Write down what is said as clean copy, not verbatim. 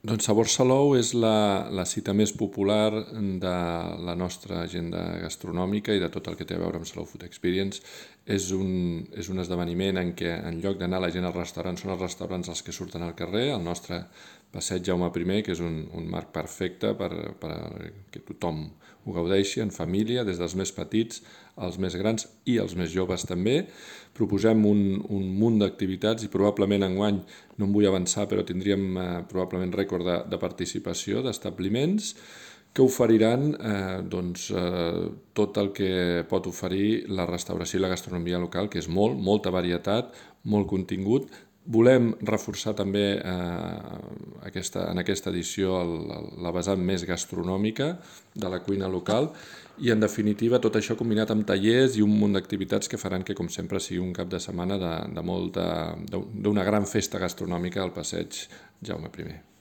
Doncs Sabor Salou és la cita més popular de la nostra agenda gastronòmica i de tot el que té a veure amb Salou Food Experience. És un esdeveniment en què en lloc d'anar la gent als restaurants, són els restaurants els que surten al carrer, el nostre passeig Jaume I, que és un marc perfecte per que tothom ho gaudeixi en família, des dels més petits als més grans i als més joves també. Proposem un munt d'activitats i probablement enguany, no em vull avançar, però tindríem probablement rècord de participació d'establiments que oferiran tot el que pot oferir la restauració i la gastronomia local, que és molta varietat, molt contingut. Volem reforçar també en aquesta edició la vessant més gastronòmica de la cuina local i, en definitiva, tot això combinat amb tallers i un munt d'activitats que faran que, com sempre, sigui un cap de setmana d'una gran festa gastronòmica al passeig Jaume I.